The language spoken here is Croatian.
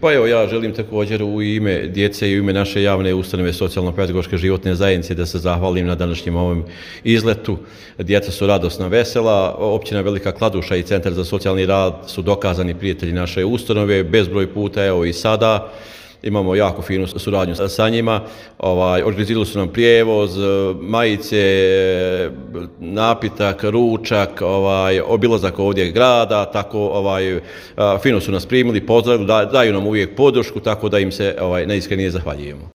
Pa evo, ja želim također u ime djece i u ime naše javne ustanove socijalno-pedagoške životne zajednice da se zahvalim na današnjem ovom izletu. Djeca su radosna, vesela. Općina Velika Kladuša i Centar za socijalni rad su dokazani prijatelji naše ustanove, bezbroj puta, evo i sada. Imamo jako finu suradnju sa njima. Organizirali su nam prijevoz, majice, napitak, ručak, obilazak ovdje grada, tako fino su nas primili, pozdravili, daju nam uvijek podršku, tako da im se najiskrenije zahvaljujemo.